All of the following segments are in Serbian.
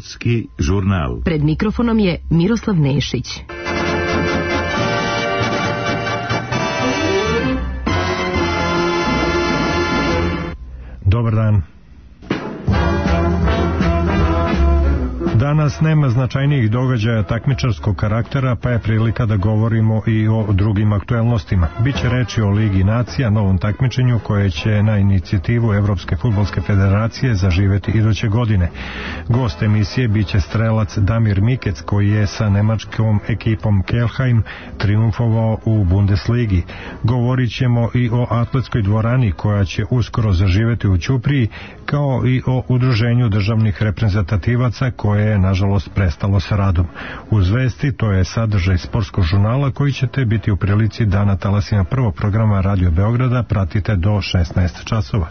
Sportski žurnal. Pred mikrofonom je Miroslav Nešić. Dobar dan. Danas nema značajnijih događaja takmičarskog karaktera, pa je prilika da govorimo i o drugim aktuelnostima. Biće reči o Ligi nacija, novom takmičenju koje će na inicijativu Evropske fudbalske federacije zaživeti iduće godine. Gost emisije biće strelac Damir Mikec, koji je sa nemačkom ekipom Kelheim triumfovao u Bundesligi. Govorit ćemo i o atletskoj dvorani koja će uskoro zaživeti u Ćupriji, kao i o udruženju državnih reprezentativaca koje je nažalost prestalo sa radom. Uz vesti, to je sadržaj sportskog žurnala koji ćete biti u prilici da na talasima prvog programa Radio Beograda pratite do 16 časova.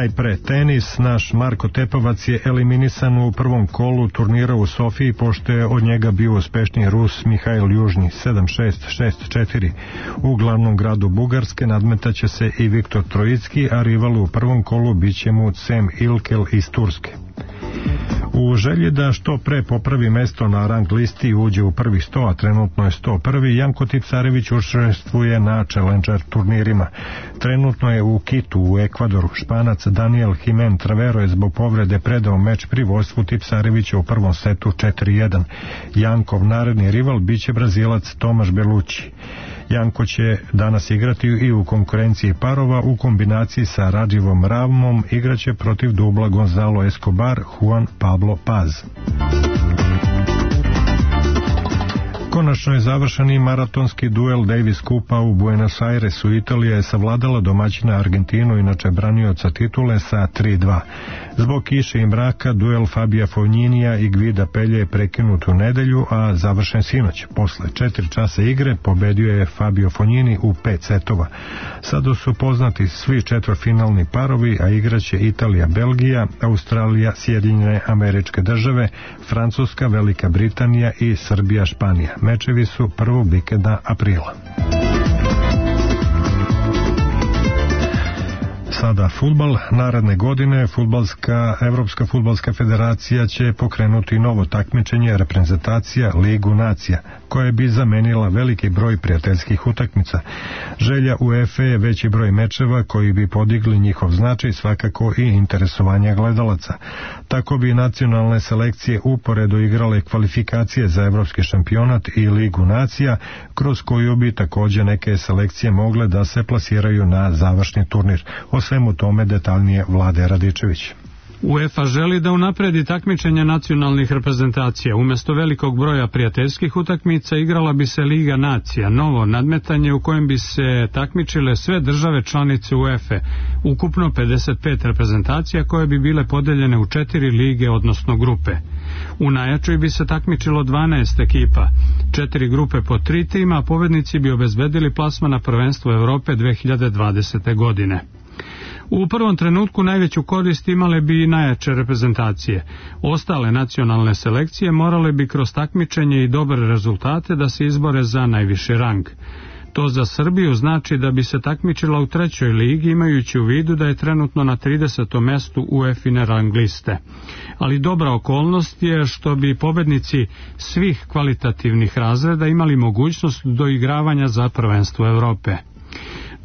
Najpre tenis. Naš Marko Tepavac je eliminisan u prvom kolu turnira u Sofiji, pošto je od njega bio uspešniji Rus Mihail Južni 7-6, 6-4. U glavnom gradu Bugarske nadmetaće se i Viktor Trojicki, a rival u prvom kolu biće mu Cem Ilkel iz Turske. U želji da što pre popravi mesto na rang listi i uđe u prvih 100, a trenutno je 101. Janko Tipsarević učestvuje na Challenger turnirima. Trenutno je u Kitu u Ekvadoru. Španac Daniel Jimen Travero je zbog povrede predao meč pri vodstvu Tipsarevića u prvom setu 4-1. Jankov naredni rival biće Brazilac Tomaš Belući. Janko će danas igrati i u konkurenciji parova u kombinaciji sa Radživom Ravmom, igraće protiv dubla Gonzalo Escobar, Juan Pablo Paz. Konačno je završen i maratonski duel Davis Kupa u Buenos Airesu. Italija je savladala domaćina Argentinu, inače branioca titule, sa 3-2. Zbog kiše i mraka duel Fabija Fogninija i Gvida Pelje je prekinut u nedelju, a završen sinoć. Posle 4 časa igre pobedio je Fabio Fognini u 5 setova. Sada su poznati svi četvrtfinalni parovi, a igraće Italija, Belgija, Australija, Sjedinjene Američke Države, Francuska, Velika Britanija i Srbija, Španija. Mečevi su prvog vikenda aprila. Sada fudbal. Naredne godine Evropska fudbalska federacija će pokrenuti novo takmičenje reprezentacija Ligu nacija, koja bi zamenila veliki broj prijateljskih utakmica. Želja UEFA je veći broj mečeva koji bi podigli njihov značaj, svakako i interesovanje gledalaca. Tako bi nacionalne selekcije uporedo igrale kvalifikacije za evropski šampionat i Ligu nacija, kroz koju bi također neke selekcije mogle da se plasiraju na završni turnir. O svemu tome detaljnije Vlade Radičević. UEFA želi da unapredi takmičenja nacionalnih reprezentacija. Umjesto velikog broja prijateljskih utakmica igrala bi se Liga nacija, novo nadmetanje u kojem bi se takmičile sve države članice UEFA, ukupno 55 reprezentacija koje bi bile podeljene u 4 lige, odnosno grupe. U najjačoj bi se takmičilo 12 ekipa, 4 grupe po 3 tima, a pobednici bi obezbedili plasman na prvenstvo Evrope 2020. godine. U prvom trenutku najveću korist imale bi i najjače reprezentacije. Ostale nacionalne selekcije morale bi kroz takmičenje i dobre rezultate da se izbore za najviši rang. To za Srbiju znači da bi se takmičila u 3. ligi, imajući u vidu da je trenutno na 30. mestu UEFA-ine rang liste. Ali dobra okolnost je što bi pobednici svih kvalitativnih razreda imali mogućnost doigravanja za prvenstvo Evrope.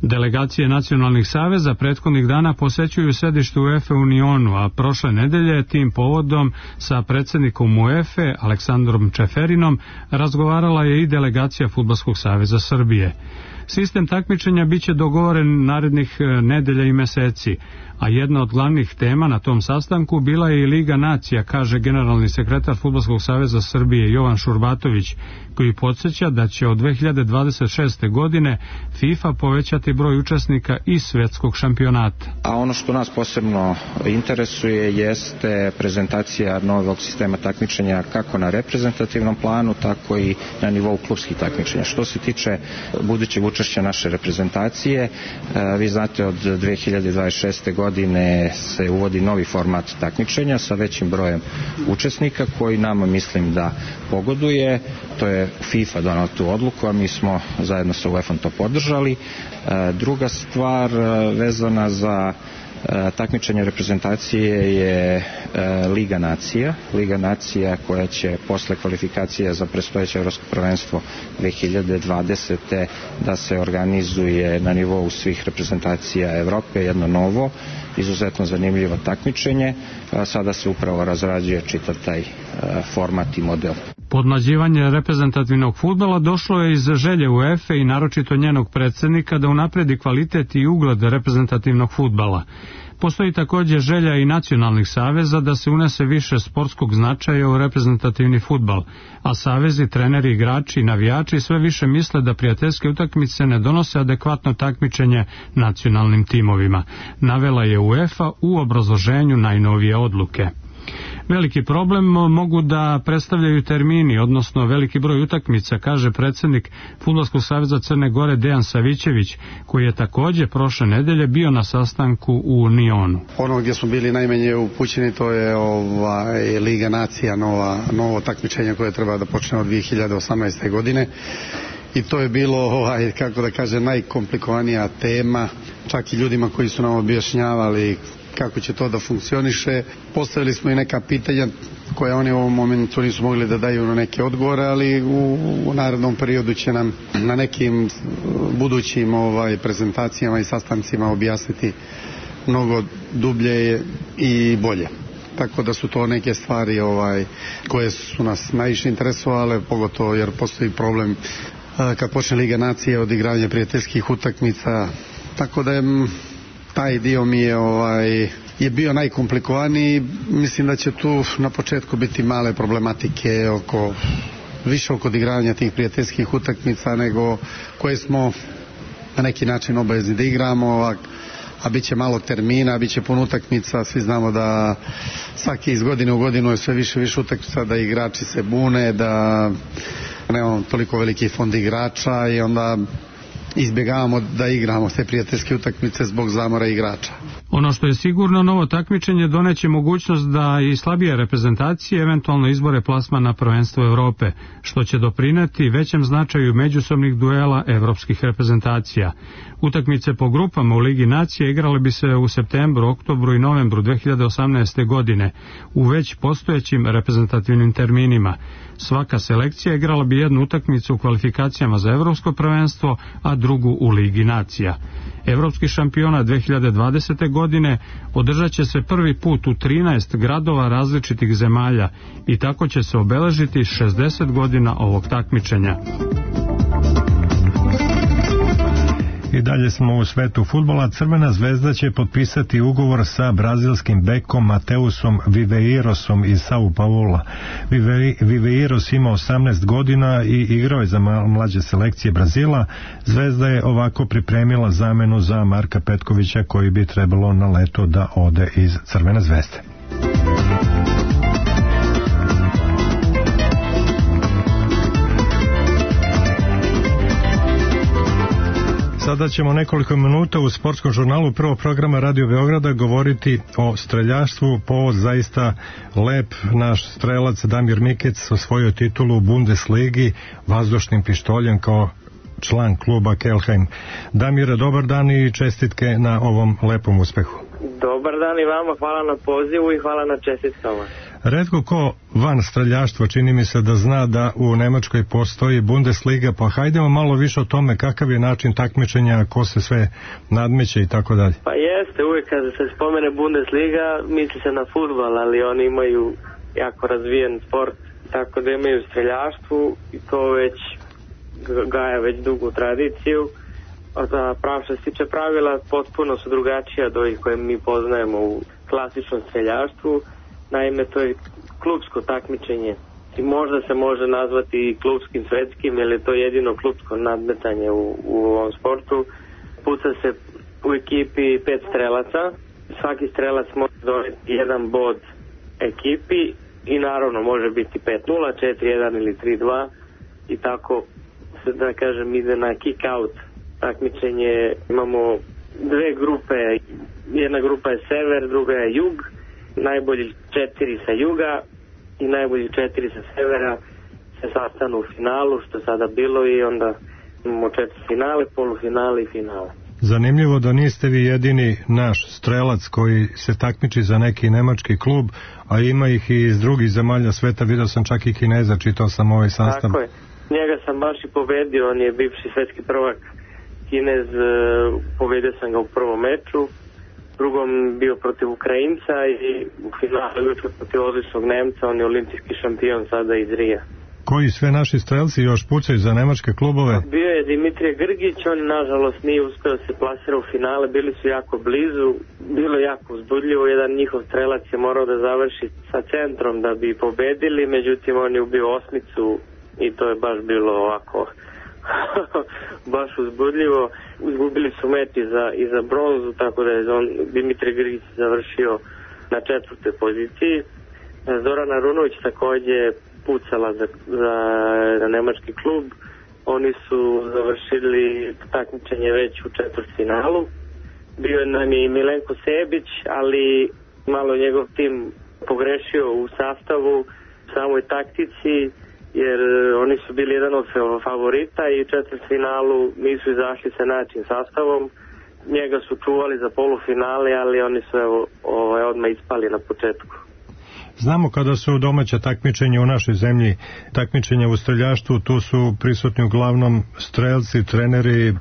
Delegacije nacionalnih saveza prethodnih dana posećuju sedište UEFA u Unionu, a prošle nedelje tim povodom sa predsjednikom UEFA Aleksandrom Čeferinom razgovarala je i delegacija Fudbalskog saveza Srbije. Sistem takmičenja biće dogovoren narednih nedelja i meseci, a jedna od glavnih tema na tom sastanku bila je i Liga nacija, kaže generalni sekretar Fudbalskog saveza Srbije Jovan Šurbatović, koji podsjeća da će od 2026. godine FIFA povećati broj učesnika i svjetskog šampionata. A ono što nas posebno interesuje jeste prezentacija novog sistema takmičenja kako na reprezentativnom planu, tako i na nivou klubskih takmičenja. Što se tiče budućeg učešća naše reprezentacije. Vi znate, od 2026. godine se uvodi novi format takmičenja sa većim brojem učesnika koji nama, mislim, da pogoduje. To je FIFA donao tu odluku, a mi smo zajedno sa UEFA-om to podržali. Druga stvar vezana za takmičenje reprezentacije je Liga nacija. Liga nacija koja će posle kvalifikacije za predstojeće evropsko prvenstvo 2020. da se organizuje na nivou svih reprezentacija Evrope, jedno novo, izuzetno zanimljivo takmičenje. Sada se upravo razrađuje čitav taj format i model. Podmlađivanje reprezentativnog fudbala došlo je iz želje UEFA i naročito njenog predsjednika da unapredi kvalitet i ugled reprezentativnog fudbala. Postoji također želja i nacionalnih saveza da se unese više sportskog značaja u reprezentativni fudbal, a savezi, treneri, igrači i navijači sve više misle da prijateljske utakmice ne donose adekvatno takmičenje nacionalnim timovima, navela je UEFA u obrazloženju najnovije odluke. Veliki problem mogu da predstavljaju termini, odnosno veliki broj utakmica, kaže predsjednik Fudbalskog saveza Crne Gore Dejan Savićević, koji je također prošle nedelje bio na sastanku u Nionu. Ono gdje smo bili najmanje upućeni, to je Liga nacija, novo takmičenje koje treba da počne od 2018. godine. I to je bilo, kako da kažem, najkomplikovanija tema, čak i ljudima koji su nam objašnjavali kako će to da funkcioniše. Postavili smo i neka pitanja koje oni u ovom momentu nisu mogli da daju na neke odgovore, ali u narednom periodu će nam na nekim budućim prezentacijama i sastancima objasniti mnogo dublje i bolje. Tako da su to neke stvari koje su nas najviše interesovale, pogotovo jer postoji problem kad počne Liga nacije od igranja prijateljskih utakmica. Tako da je taj dio mi je bio najkomplikovaniji. Mislim da će tu na početku biti male problematike više oko igranja tih prijateljskih utakmica nego koje smo na neki način obavezni da igramo, a bit će malo termina, bit će puno utakmica. Svi znamo da svaki iz godine u godinu je sve više utakmica, da igrači se bune, da nemamo toliko veliki fond igrača i onda izbjegavamo da igramo te prijateljske utakmice zbog zamora igrača. Ono što je sigurno, novo takmičenje doneće mogućnost da i slabije reprezentacije eventualno izbore plasman na prvenstvo Europe, što će doprineti većem značaju međusobnih duela evropskih reprezentacija. Utakmice po grupama u Ligi nacije igrale bi se u septembru, oktobru i novembru 2018. godine u već postojećim reprezentativnim terminima. Svaka selekcija igrala bi jednu utakmicu u kvalifikacijama za evropsko prvenstvo, a drugu u Ligi nacija. Evropski šampionat 2020. godine održat će se prvi put u 13 gradova različitih zemalja i tako će se obeležiti 60 godina ovog takmičenja. I dalje smo u svetu fudbala. Crvena zvezda će potpisati ugovor sa brazilskim bekom Mateusom Viveirosom iz Sao Paula. Viveiros ima 18 godina i igrao je za mlađe selekcije Brazila. Zvezda je ovako pripremila zamenu za Marka Petkovića koji bi trebalo na leto da ode iz Crvene zvezde. Sada ćemo nekoliko minuta u sportskom žurnalu prvog programa Radio Beograda govoriti o streljaštvu. Povod zaista lep, naš strelac Damir Mikec osvojio titulu u Bundesligi vazdušnim pištoljem kao član kluba Kelheim. Damire, dobar dan i čestitke na ovom lepom uspehu. Dobar dan i vama, hvala na pozivu i hvala na čestitkama. Retko ko van streljaštva čini mi se da zna da u Nemačkoj postoji Bundesliga, pa hajdemo malo više o tome kakav je način takmičenja, ko se sve nadmeće i tako dalje. Pa jeste, uvijek kad se spomene Bundesliga misli se na fudbal, ali oni imaju jako razvijen sport, tako da imaju streljaštvu i to već gaja već dugu tradiciju. Što se tiče pravila, potpuno su drugačija od ovih koje mi poznajemo u klasičnom streljaštvu. Naime, to je klupsko takmičenje i možda se može nazvati i klupskim svetskim, jer je to jedino klupsko nadmetanje u ovom sportu. Puca se u ekipi 5 strelaca, svaki strelac može doneti jedan bod ekipi i naravno može biti 5-0, 4-1 ili 3-2 i tako se, da kažem, ide na kick out takmičenje. Imamo dve grupe, jedna grupa je sever, druga je jug, najbolji 4 sa juga i najbolji 4 sa severa se sastanu u finalu, što je sada bilo, i onda imamo 4 finale, polufinale i finale. Zanimljivo da niste vi jedini naš strelac koji se takmiči za neki nemački klub, a ima ih i iz drugih zemalja sveta, vidio sam čak i Kineza, čitao sam ovaj sastav. Tako je, njega sam baš i pobedio, on je bivši svetski prvak Kinez, pobedio sam ga u prvom meču, drugom bio protiv Ukrajinca i u finalu protiv odličnog Nemca, on je olimpijski šampion sada iz Rija. Koji sve naši strelci još pucaju za nemačke klubove? Bio je Dimitrije Grgić, on nažalost nije uspeo da se plasira u finale, bili su jako blizu, bilo jako uzbudljivo, jedan njihov strelac je morao da završi sa centrom da bi pobedili, međutim on je ubio osmicu i to je baš bilo ovako baš uzbudljivo. Izgubili su meč i za bronzu, tako da je Dimitrije Grgić završio na 4. poziciji. Zorana Runović takođe pucala za nemački klub. Oni su završili takmičenje već u četvrtfinalu. Bio nam je i Milenko Sebić, ali malo njegov tim pogrešio u sastavu, samoj taktici, jer oni su bili jedan od favorita i u četvrtfinalu nisu izašli sa način sastavom. Njega su čuvali za polufinale, ali oni su odmah ispali na početku. Znamo kada su domaća takmičenja u našoj zemlji, takmičenja u streljaštvu, tu su prisutni uglavnom strelci, treneri,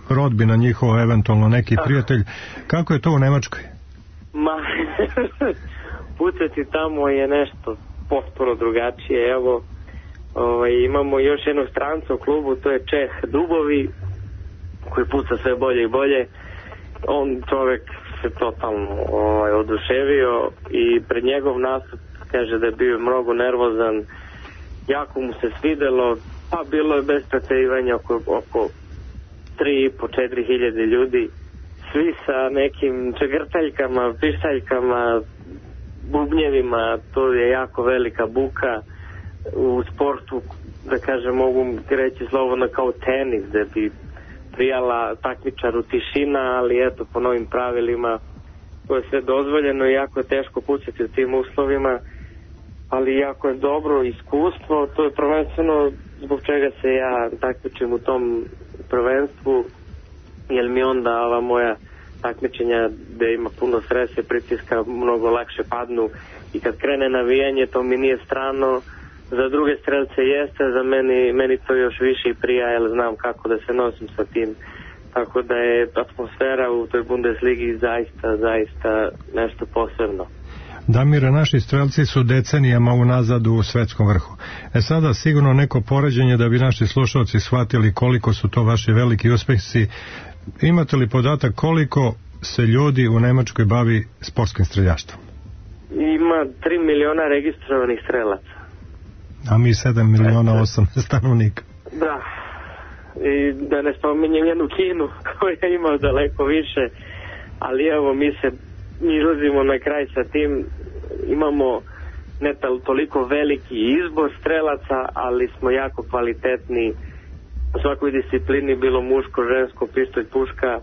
rodbina njihova, eventualno neki prijatelj. Kako je to u Nemačkoj? Pucati tamo je nešto potpuno drugačije. Evo, imamo još jednog stranca u klubu, to je Čeh Dubovi, koji puca sve bolje i bolje. On čovek se totalno oduševio i pred njegov nastup kaže da je bio mnogo nervozan, jako mu se svidelo, pa bilo je bez preterivanja oko 3.500-4 hiljade ljudi, svi sa nekim čegrtaljkama, pištaljkama, bubnjevima. To je jako velika buka u sportu, da kažem, mogu reći slobodno kao tenis, da bi prijala takmičaru tišina, ali eto, po novim pravilima to je sve dozvoljeno i jako je teško pucati u tim uslovima, ali jako je dobro iskustvo. To je prvenstveno zbog čega se ja takmičim u tom prvenstvu, jer mi onda ova moja takmičenja gde ima puno stresa, pritiska, mnogo lakše padnu i kad krene navijanje to mi nije strano. Za druge strelce jeste, za meni to još više i prija, jer znam kako da se nosim sa tim. Tako da je atmosfera u toj Bundesligi zaista nešto posebno. Damire, naši strelci su decenijama unazad u svetskom vrhu. Sada sigurno neko poređenje da bi naši slušalci shvatili koliko su to vaši veliki uspesi. Imate li podatak koliko se ljudi u Nemačkoj bavi sportskim streljaštvom? Ima 3 miliona registrovanih strelaca. A mi 7 miliona 8 stanovnika. Da. I da ne spominjem jednu Kinu koja ima daleko više, ali evo mi izlazimo na kraj sa tim. Imamo ne toliko veliki izbor strelaca, ali smo jako kvalitetni u svakoj disciplini, bilo muško, žensko, pištolj, puška,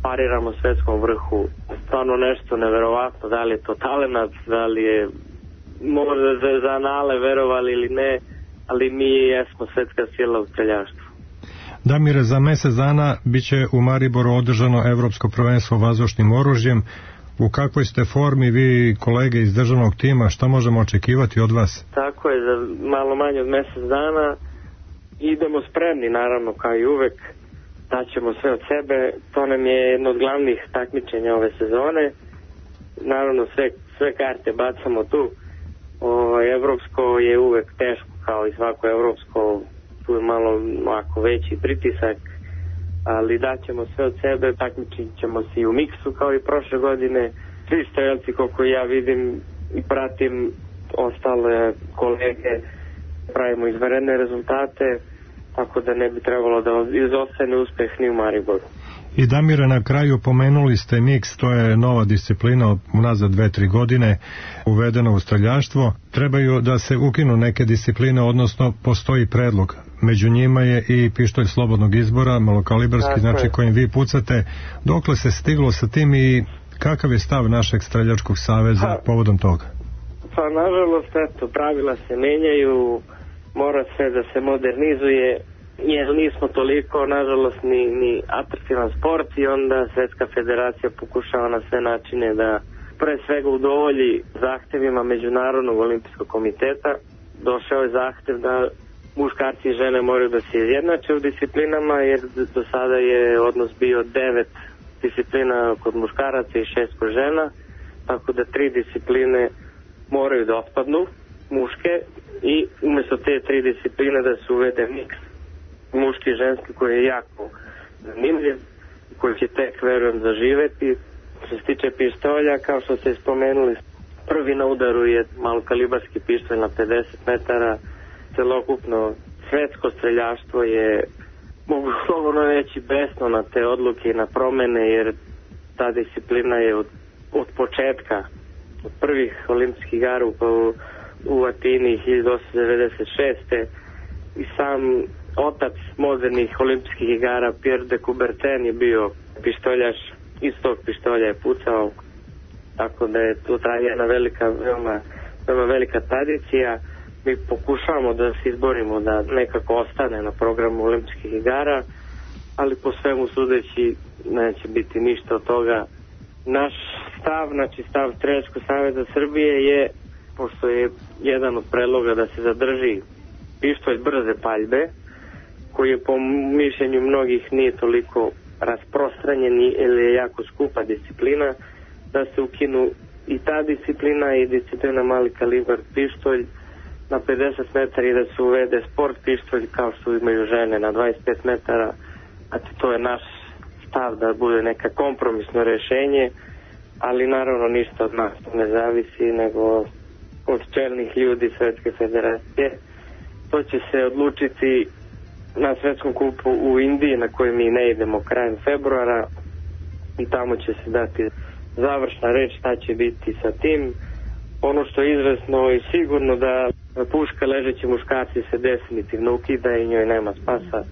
pariramo svetskom vrhu. Stvarno nešto neverovatno, da li je to talenat, da li je možda za anale, verovali ili ne, ali mi jesmo svetska sila u streljaštvu. Damire, za mesec dana biće u Mariboru održano Evropsko prvenstvo vazdušnim oružjem. U kakvoj ste formi vi, kolege iz državnog tima, šta možemo očekivati od vas? Tako je, za malo manje od mesec dana idemo spremni, naravno, kao i uvek, daćemo sve od sebe. To nam je jedno od glavnih takmičenja ove sezone. Naravno, sve karte bacamo tu. Evropsko je uvek teško, kao i svako evropsko, tu je malo ovako veći pritisak, ali daćemo sve od sebe, takmičit ćemo se i u miksu kao i prošle godine. Svi strelci, koliko ja vidim i pratim ostale kolege, pravimo izvanredne rezultate, tako da ne bi trebalo da izostane uspeh ni u Mariboru. I Damire, na kraju pomenuli ste miks, to je nova disciplina unazad 2-3 godine uvedena u streljaštvo. Trebaju da se ukinu neke discipline, odnosno postoji predlog među njima je i pištolj slobodnog izbora, malokalibarski, znači kojim vi pucate. Dokle se stiglo sa tim i kakav je stav našeg streljačkog saveza povodom toga? Pa nažalost, eto, pravila se menjaju, mora sve da se modernizuje, jer nismo toliko, nažalost, ni atraktivan sport i onda Svetska federacija pokušava na sve načine da pre svega udovolji zahtevima Međunarodnog olimpijskog komiteta. Došao je zahtev da muškarci i žene moraju da se izjednače u disciplinama, jer do sada je odnos bio 9 disciplina kod muškaraca i 6 kod žena, tako da 3 discipline moraju da otpadnu, muške, i umjesto te 3 discipline da se uvede miks muški i ženski, koji je jako zanimljiv, koji će tek, verujem, zaživeti. Što se tiče pištolja, kao što ste spomenuli, prvi na udaru je malokalibarski pištolj na 50 metara. Celokupno svetsko streljaštvo je, mogu slobodno reći, besno na te odluke i na promene, jer ta disciplina je od početka, od prvih olimpijskih igara u Atini 1896. i sam otac modernih olimpijskih igara, Pierre de Coubertin, je bio pištoljaš, iz tog pištolja je pucao, tako da je tu traje jedna velika, veoma velika tradicija. Mi pokušavamo da se izborimo da nekako ostane na programu olimpijskih igara, ali po svemu sudeći neće biti ništa od toga. Naš stav, znači stav Streljačkog saveza Srbije je, pošto je jedan od predloga da se zadrži pištolj brze paljbe, koji je po mišljenju mnogih nije toliko rasprostranjen ili je jako skupa disciplina, da se ukinu i ta disciplina i disciplina mali kalibar pištolj na 50 metara i da se uvede sport pištolj kao što imaju žene na 25 metara. A to je naš stav, da bude neka kompromisno rešenje, ali naravno ništa od nas ne zavisi, nego od čelnih ljudi Svetske federacije. To će se odlučiti na svetskom kupu u Indiji, na koji mi ne idemo krajem februara, i tamo će se dati završna reč šta će biti sa tim. Ono što je izvesno i sigurno da puška ležeći muškarci se definitivno ukida i njoj nema spasa,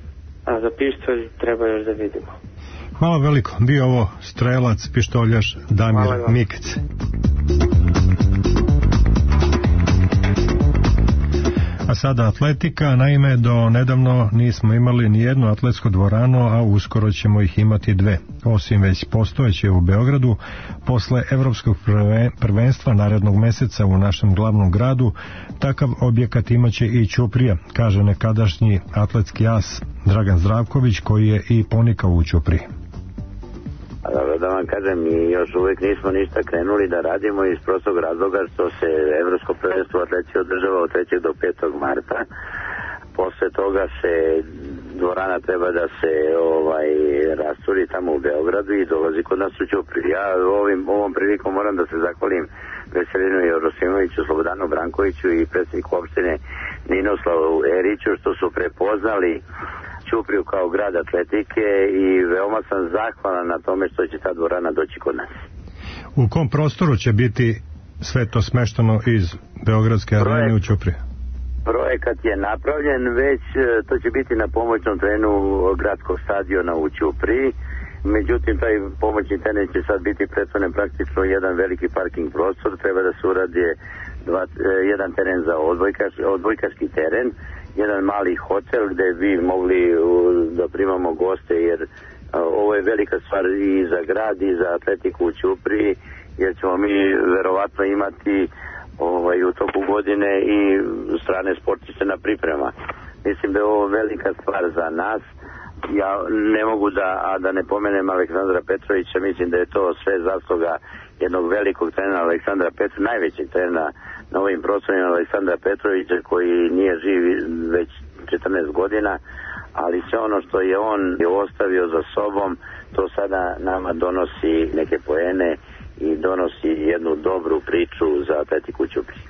a za pištolj treba još da vidimo. Hvala veliko. Bio ovo strelac, pištoljaš Damir Mikec. A sada atletika. Naime, do nedavno nismo imali ni jednu atletsku dvoranu, a uskoro ćemo ih imati 2. Osim već postojeće u Beogradu, posle Evropskog prvenstva narednog meseca u našem glavnom gradu, takav objekat imaće i Ćuprija, kaže nekadašnji atletski as Dragan Zdravković, koji je i ponikao u Ćupriji. Dobro, da vam kažem, mi još uvijek nismo ništa krenuli da radimo iz prostog razloga što se Evropsko prvenstvo atletike održava od 3. do 5. marta. Posle toga se dvorana treba da se rasturi tamo u Beogradu i dolazi kod nas u Ćupriju. Ja ovom prilikom moram da se zahvalim Veselinu Jorosimoviću, Slobodanu Brankoviću i predsjedniku opštine Ninoslavu Eriću što su prepoznali Ćupriju kao grad atletike i veoma sam zahvalan na tome što će ta dvorana doći kod nas. U kom prostoru će biti sve to smešteno iz Beogradske arene u Ćupriji? Projekat je napravljen, već to će biti na pomoćnom terenu gradskog stadiona u Ćupriji. Međutim, taj pomoćni teren će sad biti pretvoren praktično jedan veliki parking prostor. Treba da se uradi jedan teren za odbojkaški teren, jedan mali hotel gde bi mogli da primamo goste, jer ovo je velika stvar i za grad i za atletiku u Ćupriji, jer ćemo mi verovatno imati u toku godine i strane sportiste na priprema. Mislim da je ovo velika stvar za nas. Ja ne mogu da ne pomenem Aleksandra Petrovića, mislim da je to sve zasluga jednog velikog trenera Aleksandra Petrovića, najvećeg trenera na ovim prostorima Aleksandra Petrovića, koji nije živ već 14 godina, ali sve ono što je on ostavio za sobom, to sada nama donosi neke poene i donosi jednu dobru priču za atletiku Ćuprije.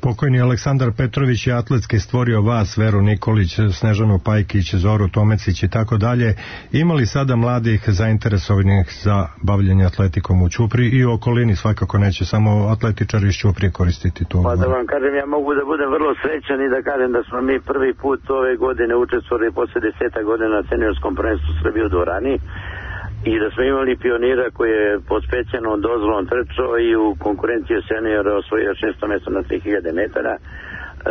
Pokojni Aleksandar Petrović je atletski stvorio vas, Veru Nikolić, Snežanu Pajkić, Zoru Tomecić i tako dalje. Ima li sada mladih zainteresovanih za bavljanje atletikom u Ćupriji i u okolini? Svakako neće samo atletičari iz Ćuprije koristiti tu. Pa da vam kažem, ja mogu da budem vrlo srećan i da kažem da smo mi prvi put ove godine učestvovali posle 10 godina na seniorskom prvenstvu Srbije u dvorani i da smo imali pionira koji je pod specijalnom dozvolom trčao i u konkurenciji seniora osvojio 6. mesto na 3000 metara.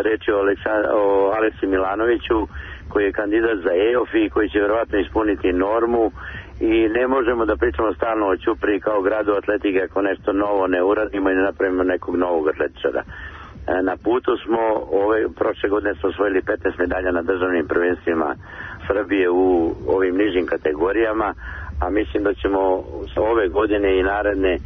Reč je o Aleksi Milanoviću koji je kandidat za EOF i koji će verovatno ispuniti normu i ne možemo da pričamo stalno o Ćupriji kao gradu atletike ako nešto novo ne uradimo i ne napravimo nekog novog atletičara. Na putu smo, prošle godine smo osvojili 15 medalja na državnim prvenstvima Srbije u ovim nižim kategorijama, a mislim da ćemo ove godine i naredne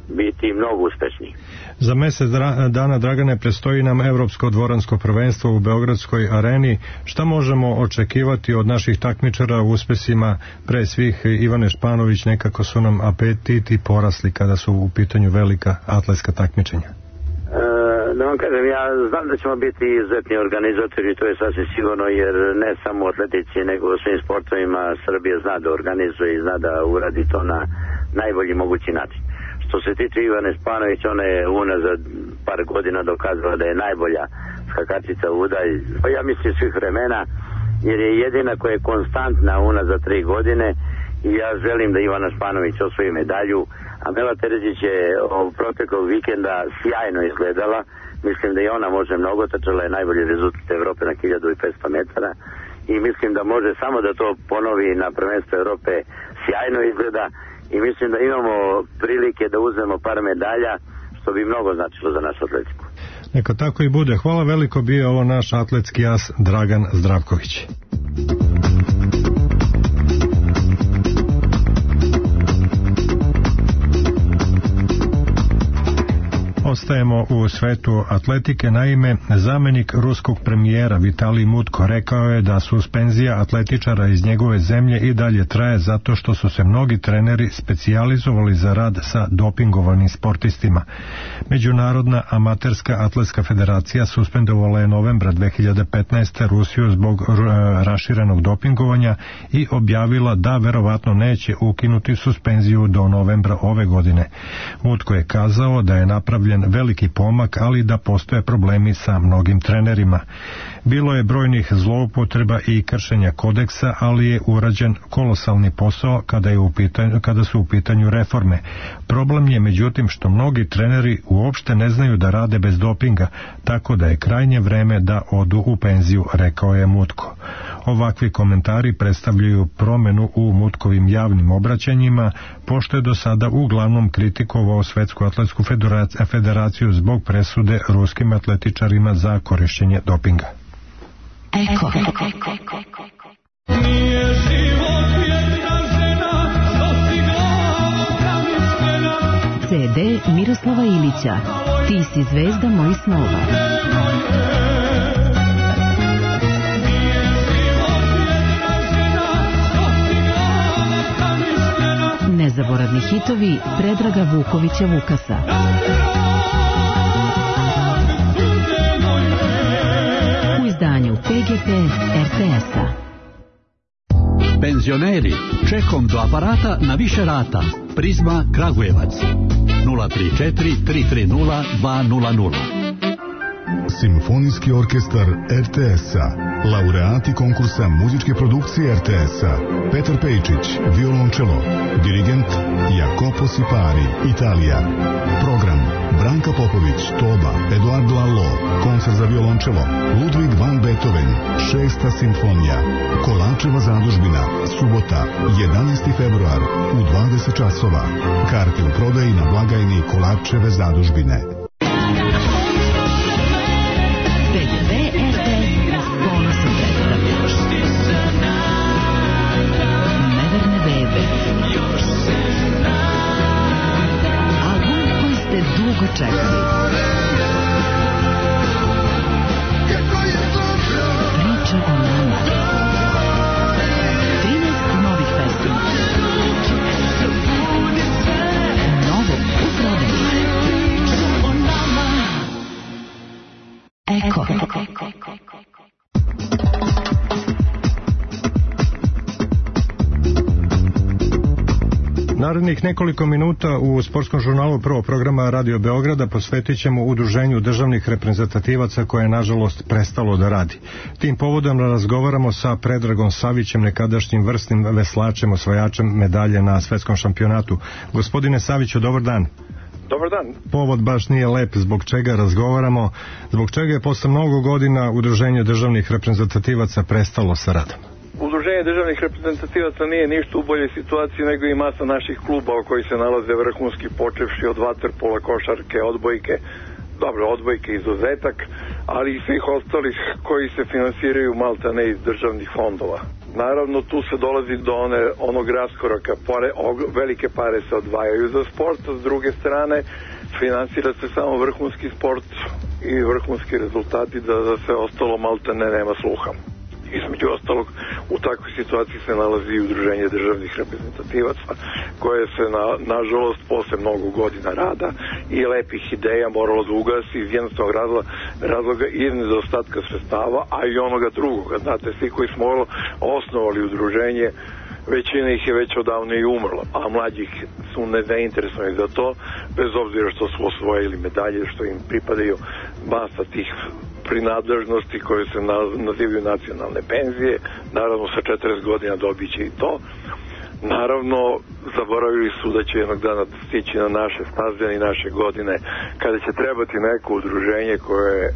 biti mnogo uspešniji. Za mesec dana, Dragane, predstoji nam Evropsko dvoransko prvenstvo u Beogradskoj areni. Šta možemo očekivati od naših takmičara u uspesima? Pre svih Ivane Španović, nekako su nam apetiti porasli kada su u pitanju velika atletska takmičenja. Da vam kažem, ja znam da ćemo biti izuzetni organizatori, to je sasvim sigurno, jer ne samo u atletici, nego u svim sportovima Srbija zna da organizuje i zna da uradi to na najbolji mogući način. Što se tiče Ivane Španović, ona je unazad par godina dokazala da je najbolja skakačica u udalj, pa ja mislim svih vremena, jer je jedina koja je konstantna unazad 3 godine i ja želim da Ivana Španović osvoji medalju. Amela Terezić je proteklog vikenda sjajno izgledala, mislim da i ona može mnogo, trčala je najbolji rezultat Evrope na 1500 metara i mislim da može samo da to ponovi na prvenstvu Evrope, sjajno izgleda i mislim da imamo prilike da uzmemo par medalja, što bi mnogo značilo za našu atletiku. Neka tako i bude. Hvala veliko, bio ovo naš atletski as Dragan Zdravković. Ostajemo u svetu atletike. Naime, zamenik ruskog premijera Vitalij Mutko rekao je da suspenzija atletičara iz njegove zemlje i dalje traje zato što su se mnogi treneri specijalizovali za rad sa dopingovanim sportistima. Međunarodna amaterska atletska federacija suspendovala je novembra 2015. Rusiju zbog raširenog dopingovanja i objavila da verovatno neće ukinuti suspenziju do novembra ove godine. Mutko je kazao da je napravljen veliki pomak, ali da postoje problemi sa mnogim trenerima. Bilo je brojnih zloupotreba i kršenja kodeksa, ali je urađen kolosalni posao kada su u pitanju reforme. Problem je međutim što mnogi treneri uopšte ne znaju da rade bez dopinga, tako da je krajnje vreme da odu u penziju, rekao je Mutko. Ovakvi komentari predstavljaju promenu u Mutkovim javnim obraćanjima, pošto je do sada uglavnom kritikovao Svetsku atletsku federaciju zbog presude ruskim atletičarima za korišćenje dopinga. Eko. Nije život jedna žena, CD Miroslava Ilića. Ti si zvezda mojih snova. Nezaboravni hitovi Predraga Vukovića Vukasa. U izdanju PGP RTS-a. Penzioneri, čekom do aparata na više rata. Prizma Kragujevac 034 330 200. Simfonijski orkestar RTS-a, laureati konkursa muzičke produkcije RTS-a, Petar Pejčić, violončelo, dirigent Jacopo Sipari, Italija. Program: Branka Popović, toba, Eduardo Allo, koncert za violončelo, Ludwig van Beethoven, 6. simfonija, Kolačeva zadužbina, subota, 11. februar, u 20 časova. Karte u prodaji na blagajni Kolačeve zadužbine. Čekali. Priča o nama. Narednih nekoliko minuta u sportskom žurnalu prvog programa Radio Beograda posvetit ćemo udruženju državnih reprezentativaca koje je nažalost prestalo da radi. Tim povodom razgovaramo sa Predragom Savićem, nekadašnjim vrsnim veslačem, osvajačem medalje na svetskom šampionatu. Gospodine Saviću, dobar dan. Dobar dan. Povod baš nije lep, zbog čega razgovaramo, zbog čega je posle mnogo godina udruženje državnih reprezentativaca prestalo sa radom. Udruženje državnih reprezentativaca nije ništa u boljoj situaciji nego i masa naših klubova koji se nalaze vrhunski, počevši od vaterpola, košarke, odbojke, dobro, odbojke izuzetak, ali i svih ostalih koji se finansiraju maltene iz državnih fondova. Naravno, tu se dolazi do onog raskoraka, velike pare se odvajaju za sport, a s druge strane finansira se samo vrhunski sport i vrhunski rezultati, da za sve ostalo maltene nema sluha. Između ostalog, u takvoj situaciji se nalazi i udruženje državnih reprezentativaca, koje se nažalost posle mnogo godina rada i lepih ideja moralo da ugasi iz jednostavnog razloga i nedostatka sredstava, a i onoga drugoga. Znate, svi koji smo osnovali udruženje, većina ih je već odavno i umrla, a mlađih su nezainteresovani za to, bez obzira što su osvojili medalje, što im pripadaju masa tih prinadležnosti koje se nazivaju nacionalne penzije. Naravno, sa 40 godina dobiće i to. Naravno, zaboravili su da će jednog dana stići na naše staze i naše godine, kada će trebati neko udruženje koje je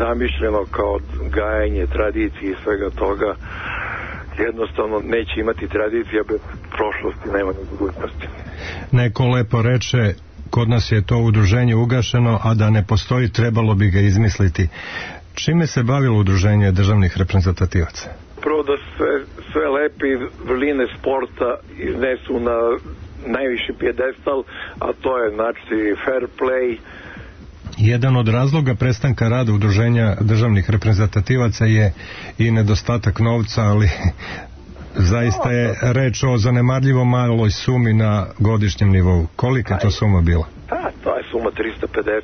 zamišljeno kao gajanje tradicije i svega toga. Jednostavno neće imati tradicija, bez prošlosti nema ni budućnosti. Neko lepo reče, kod nas je to udruženje ugašeno, a da ne postoji, trebalo bi ga izmisliti. Čime se bavilo udruženje državnih reprezentativaca? Prvo da sve lepe vrline sporta iznesu na najviši pijedestal, a to je znači fair play. Jedan od razloga prestanka rada udruženja državnih reprezentativaca je i nedostatak novca, ali zaista je reč o zanemarljivo maloj sumi na godišnjem nivou. Kolika je to suma bila? To je suma 350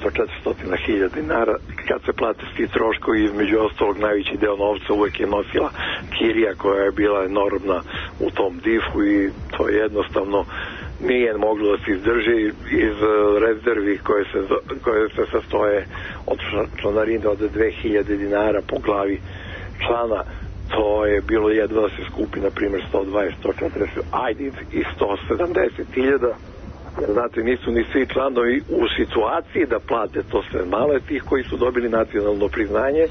do 400.000 dinara. Kad se plate svi troškovi, između ostalog najveći deo novca uvek je nosila kirija koja je bila enormna u tom difu i to je jednostavno nije moglo da se izdrži iz rezervi koje se sastoje od članarine od 2000 dinara po glavi člana. To je bilo jedva da se skupi, na primjer, 120, 140, ajde i 170.000. Znate, nisu ni svi članovi u situaciji da plate to sve male, tih koji su dobili nacionalno priznanje.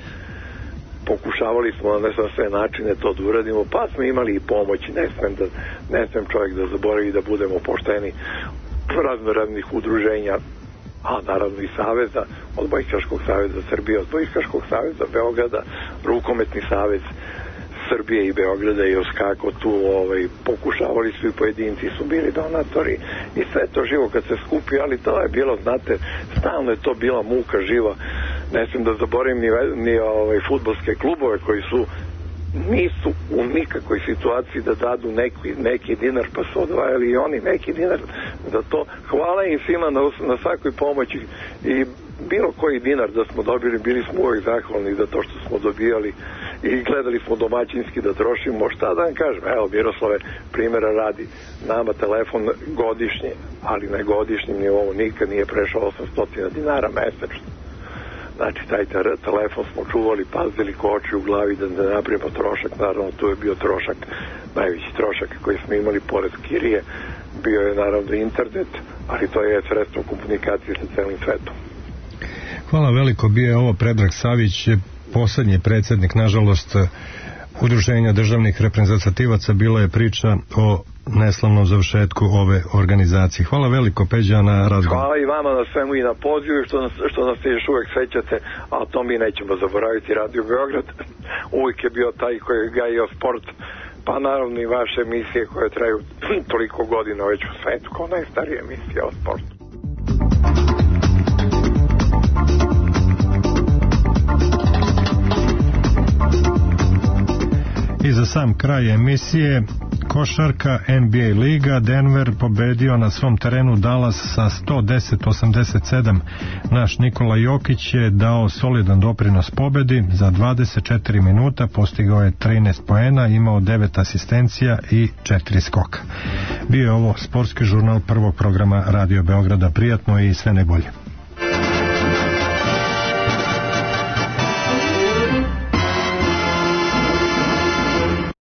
Pokušavali smo na sve načine to da uradimo, pa smo imali i pomoći, ne smem čovjek da zaboravi da budemo pošteni raznih udruženja, a naravno i saveza, od Odbojkaškog saveza Srbije, od Odbojkaškog saveza Beograda, Rukometni savez Srbije i Beograda i Oskako tu pokušavali su i pojedinci, su bili donatori i sve to živo kad se skupi, ali to je bilo, znate, stalno je to bila muka živa. Ne smijem da zaboravim ni fudbalske klubove koji nisu u nikakvoj situaciji da dadu neki dinar, pa su odvajali i oni neki dinar za to. Hvala im svima na svakoj pomoći i bilo koji dinar da smo dobili, bili smo uvijek zahvalni za to što smo dobijali i gledali smo domaćinski da trošimo. Šta da vam kažem, evo Miroslave, primjera radi, nama telefon godišnje, ali na godišnjem nivou nikad nije prešao 800 dinara mesečno. Znači, taj telefon smo čuvali, pazili ko oči u glavi da ne napravimo trošak. Naravno, tu je bio trošak, najveći trošak koji smo imali pored kirije, bio je naravno internet, ali to je sredstvo komunikacije sa celim svetom. Hvala veliko, bio je ovo Predrag Savić, poslednji predsjednik, nažalost, udruženja državnih reprezentativaca. Bila je priča o neslavnom završetku ove organizacije. Hvala veliko, Peđa, na razgovor. Hvala i vama na svemu i na pozivu i što nas se još uvek sećate, a to mi nećemo zaboraviti. Radio Beograd uvijek je bio taj koji je gajio sport, pa naravno i vaše emisije koje traju toliko godina već u svetu, kao najstarija emisija o sportu. I za sam kraj emisije, košarka, NBA liga, Denver pobedio na svom terenu Dallas sa 110-87. Naš Nikola Jokić je dao solidan doprinos pobedi. Za 24 minuta postigao je 13 poena, imao 9 asistencija i 4 skoka. Bio je ovo sportski žurnal prvog programa Radio Beograda. Prijatno i sve najbolje.